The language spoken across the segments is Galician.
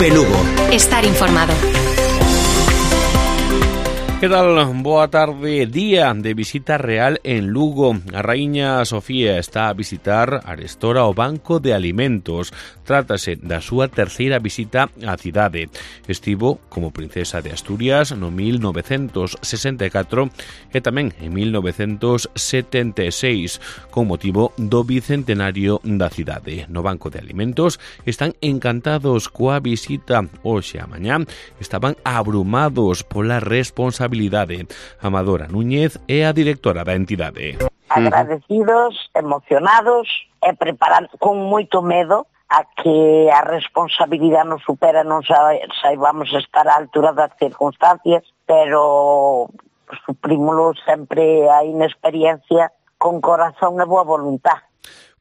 COPE Lugo. Estar informado. Que tal? Boa tarde. Día de visita real en Lugo. A Raíña Sofía está a visitar arestora o Banco de Alimentos. Trátase da súa terceira visita á cidade. Estivo como princesa de Asturias no 1964 e tamén en 1976 con motivo do bicentenario da cidade. No Banco de Alimentos están encantados coa visita. Hoxe a mañá estaban abrumados pola responsabilidade. Amadora Núñez é a directora da entidade. Agradecidos, emocionados e preparados con moito medo a que a responsabilidade nos supera, non saibamos estar á altura das circunstancias, pero suprímolo sempre a inexperiencia con corazón e boa voluntad.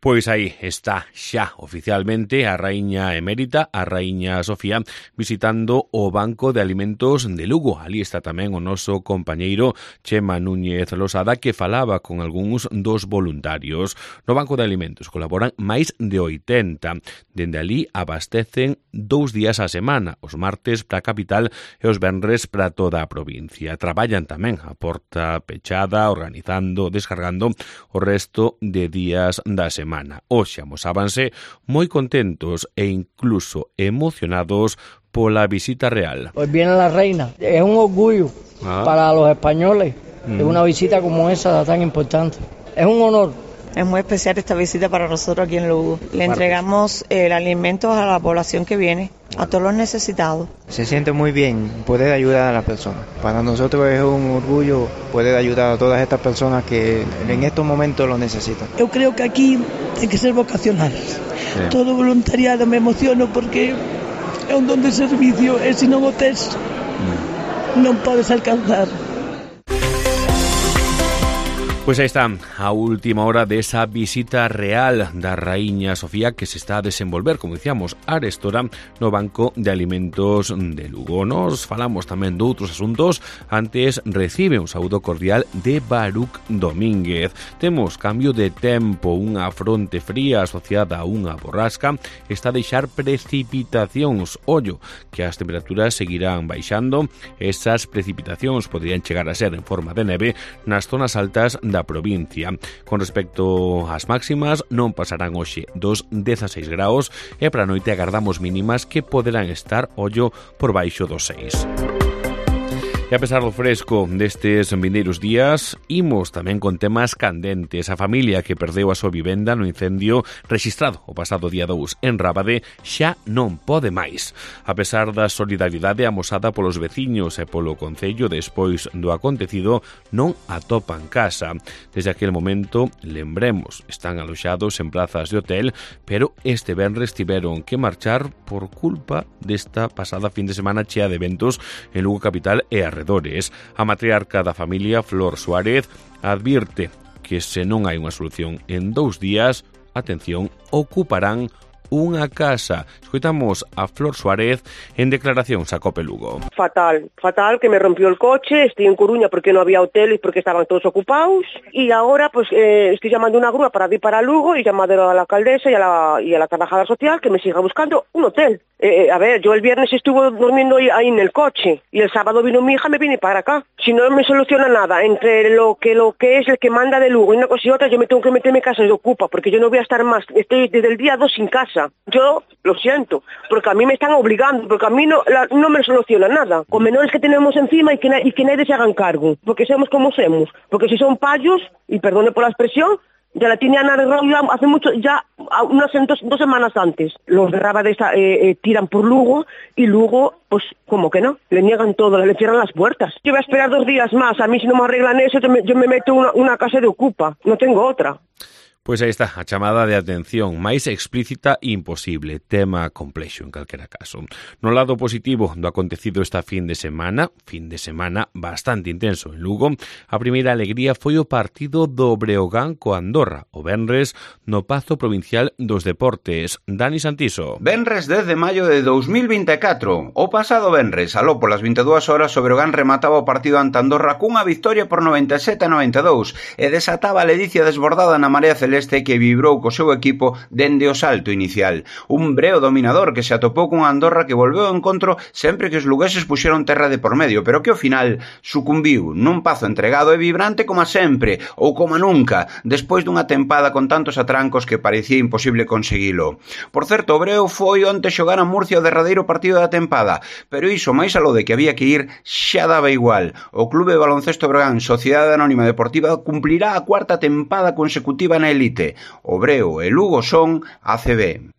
Pois aí está xa oficialmente a raíña emérita, a raíña Sofía, visitando o Banco de Alimentos de Lugo. Ali está tamén o noso compañeiro Chema Núñez Losada, que falaba con algúns dos voluntarios. No Banco de Alimentos colaboran máis de 80. Dende ali abastecen 2 días á semana, os martes para a capital e os venres para toda a provincia. Traballan tamén a porta pechada, organizando, descargando o resto de días da semana. Hoxe amosábanse moi contentos e incluso emocionados pola visita real. Hoy viene la reina, es un orgullo para los españoles, es una visita como esa tan importante, es un honor. Es muy especial esta visita para nosotros aquí en Lugo. Le entregamos el alimento a la población que viene, a todos los necesitados. Se siente muy bien poder ayudar a las personas. Para nosotros es un orgullo poder ayudar a todas estas personas que en estos momentos lo necesitan. Yo creo que aquí hay que ser vocacionales. Sí. Todo voluntariado me emociono porque es un don de servicio e se non o tes non podes alcanzar. Pois aí está a última hora desa visita real da Raíña Sofía que se está a desenvolver, como dicíamos, arestora no Banco de Alimentos de Lugo. Nos falamos tamén de outros asuntos. Antes recibe un saúdo cordial de Baruch Domínguez. Temos cambio de tempo, unha fronte fría asociada a unha borrasca está a deixar precipitacións. Ollo, que as temperaturas seguirán baixando. Esas precipitacións poderían chegar a ser en forma de neve nas zonas altas da provincia. Con respecto ás máximas, non pasarán hoxe dos 16 graus e para a noite agardamos mínimas que poderán estar, ollo, por baixo dos 6. E a pesar do fresco destes vindeiros días, imos tamén con temas candentes. A familia que perdeu a súa vivenda no incendio rexistrado o pasado día 2 en Rábade xa non pode máis. A pesar da solidaridade amosada polos veciños e polo concello despois do acontecido, non atopan casa. Desde aquel momento, lembremos, están aloxados en plazas de hotel, pero este venres tiveron que marchar por culpa desta pasada fin de semana chea de eventos en Lugo capital e arredores. A matriarca da familia, Flor Suárez, advirte que se non hai unha solución en 2 días, atención, ocuparán unha casa. Escoitamos a Flor Suárez en declaracións a COPE Lugo. Fatal, que me rompió el coche, estoy en Coruña porque no había hoteles porque estaban todos ocupados y ahora pues estoy llamando una grúa para ir para Lugo y llamando a la alcaldesa y a la trabajadora social que me siga buscando un hotel. A ver, yo el viernes estuve durmiendo ahí en el coche y el sábado vino mi hija, me vine para acá. Si no me soluciona nada entre lo que es el que manda de Lugo y una cosa y otra, yo me tengo que meterme en casa de Ocupa porque yo no voy a estar más, estoy desde el día 2 sin casa. Yo lo siento, porque a mí me están obligando, porque a mí no me soluciona nada. Con menores que tenemos encima y que nadie se hagan cargo, porque somos como somos. Porque si son payos, y perdone por la expresión, ya la tenían arreglado hace mucho, ya unas 2 semanas antes. Los de Rábade tiran por Lugo y Lugo, pues como que no, le niegan todo, le cierran las puertas. Yo voy a esperar 2 días más, a mí si no me arreglan eso, yo me meto una casa de Ocupa, no tengo otra. Pois aí está, a chamada de atención máis explícita imposible, tema complexo en calquera caso. No lado positivo do acontecido esta fin de semana bastante intenso en Lugo, a primeira alegría foi o partido do Breogán co Andorra, o venres no Pazo Provincial dos Deportes. Dani Santiso. Venres 10 de maio de 2024. O pasado venres, aló polas 22 horas, o Breogán remataba o partido ante Andorra cunha victoria por 97-92 e desataba a ledicia desbordada na Marea Celeste celeste que vibrou co seu equipo dende o salto inicial. Un Breo dominador que se atopou cunha Andorra que volveu ao encontro sempre que os lugueses puxeron terra de por medio, pero que ao final sucumbiu nun Pazo entregado e vibrante como sempre, ou como nunca, despois dunha tempada con tantos atrancos que parecía imposible conseguilo. Por certo, o Breo foi onte xogar a Murcia o derradeiro partido da tempada, pero iso, máis aló de que había que ir, xa daba igual. O Clube de Baloncesto Breogán Sociedade Anónima Deportiva cumplirá a cuarta tempada consecutiva na elite. O Breo e Lugo son ACB.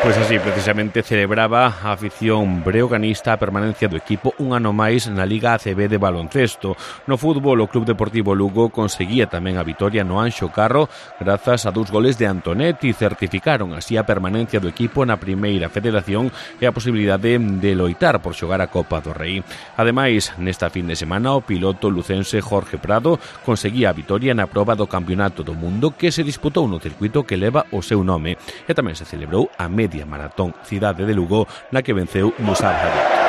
Pois así, precisamente, celebraba a afición breoganista a permanencia do equipo un ano máis na Liga ACB de baloncesto. No fútbol, o Club Deportivo Lugo conseguía tamén a vitoria no Anxo Carro grazas a 2 goles de Antonetti, certificaron así a permanencia do equipo na Primeira Federación e a posibilidade de loitar por xogar a Copa do Rei. Ademais, nesta fin de semana, o piloto lucense Jorge Prado conseguía a vitoria na proba do Campeonato do Mundo que se disputou no circuito que leva o seu nome e tamén se celebrou a media maratón Cidade de Lugo na que venceu Musab Hadid.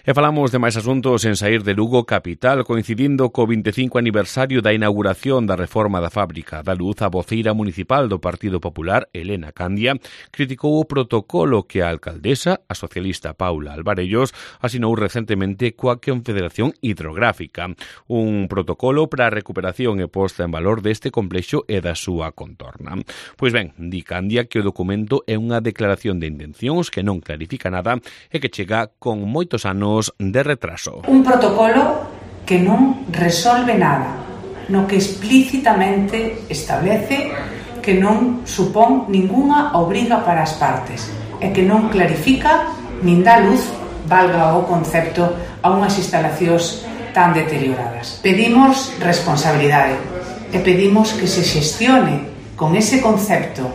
E falamos de máis asuntos en saír de Lugo capital, coincidindo co 25 aniversario da inauguración da reforma da fábrica da luz. A voceira municipal do Partido Popular, Elena Candia, criticou o protocolo que a alcaldesa, a socialista Paula Alvarellos, asinou recentemente coa Confederación Hidrográfica. Un protocolo para a recuperación e posta en valor deste complexo e da súa contorna. Pois ben, di Candia que o documento é unha declaración de intencións que non clarifica nada e que chega con moitos anos de retraso. Un protocolo que non resolve nada, no que explícitamente establece que non supón ningunha obriga para as partes e que non clarifica nin dá luz, valga o concepto, a unhas instalacións tan deterioradas. Pedimos responsabilidade e pedimos que se xestione con ese concepto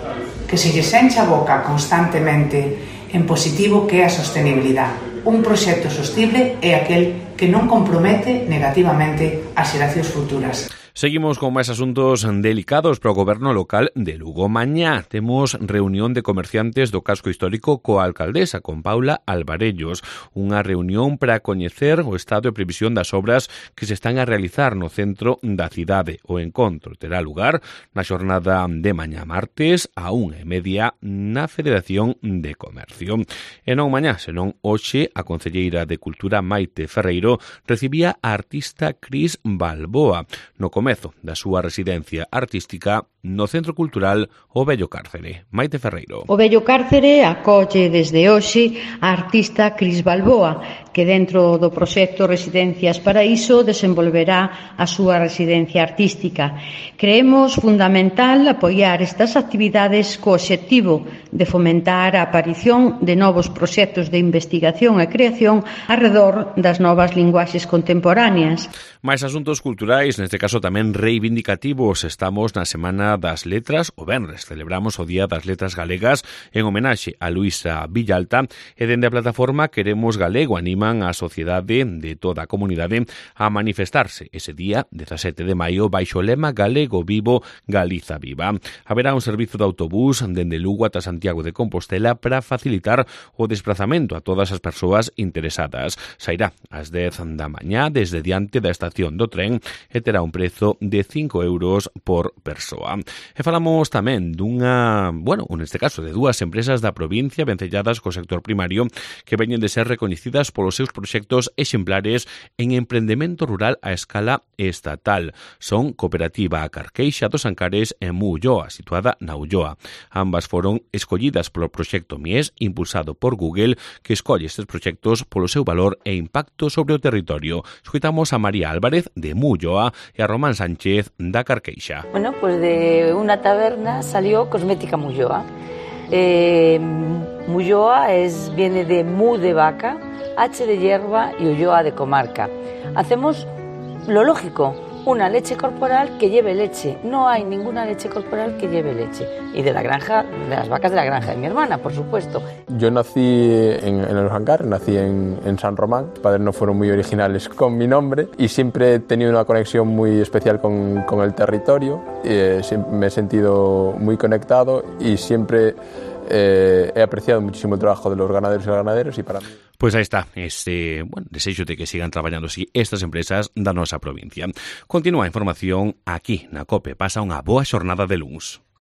que se lles encha a boca constantemente en positivo, que é a sostenibilidade. Un proxecto sostible é aquel que non compromete negativamente as xeracións futuras. Seguimos con máis asuntos delicados para o goberno local de Lugo. Mañá temos reunión de comerciantes do casco histórico coa alcaldesa, con Paula Alvarellos. Unha reunión para coñecer o estado e previsión das obras que se están a realizar no centro da cidade. O encontro terá lugar na xornada de mañá martes a 1:30 na Federación de Comercio. E non mañá, senón hoxe, a concelleira de Cultura Maite Ferreiro recibía a artista Cris Balboa no comezo da súa residencia artística no Centro Cultural O Vello Cárcere. Maite Ferreiro. O Vello Cárcere acolle desde hoxe a artista Cris Balboa, que dentro do proxecto Residencias Paraíso desenvolverá a súa residencia artística. Creemos fundamental apoiar estas actividades co obxectivo de fomentar a aparición de novos proxectos de investigación e creación arredor das novas linguaxes contemporáneas. Mais asuntos culturais, neste caso tamén reivindicativos. Estamos na Semana das Letras, o venres celebramos o Día das Letras Galegas en homenaxe a Luisa Villalta e dende a plataforma Queremos Galego animan a sociedade de toda a comunidade a manifestarse ese día 17 de maio baixo o lema Galego Vivo, Galiza Viva. Haberá un servizo de autobús dende Lugo ata Santiago de Compostela para facilitar o desplazamento a todas as persoas interesadas. Sairá ás 10 da mañá desde diante da estación do tren e terá un prezo de 5 euros por persoa. E falamos tamén dunha, neste caso de dúas empresas da provincia vencelladas co sector primario que veñen de ser recoñecidas polos seus proxectos exemplares en emprendemento rural a escala estatal. Son Cooperativa Carqueixa dos Ancares e Mulloa, situada na Ulloa. Ambas foron escollidas polo proxecto Mies, impulsado por Google, que escolle estes proxectos polo seu valor e impacto sobre o territorio. Escoitamos a María Álvarez de Mulloa e a Román Sánchez da Carqueixa. Bueno, pues de una taberna salió Cosmética Mulloa. Mulloa viene de mu de vaca, H de hierba y Ulloa de comarca. Hacemos lo lógico, una leche corporal que lleve leche. No hay ninguna leche corporal que lleve leche. Y de la granja, de las vacas de la granja de mi hermana, por supuesto. Yo nací en Los Ancares, nací en San Román. Mis padres no fueron muy originales con mi nombre y siempre he tenido una conexión muy especial con el territorio. Me he sentido muy conectado y siempre he apreciado muchísimo el trabajo de los ganaderos y las ganaderas y para mí... Pois aí está, desexo de que sigan traballando así estas empresas da nosa provincia. Continúa a información aquí na COPE. Pasa unha boa xornada de luns.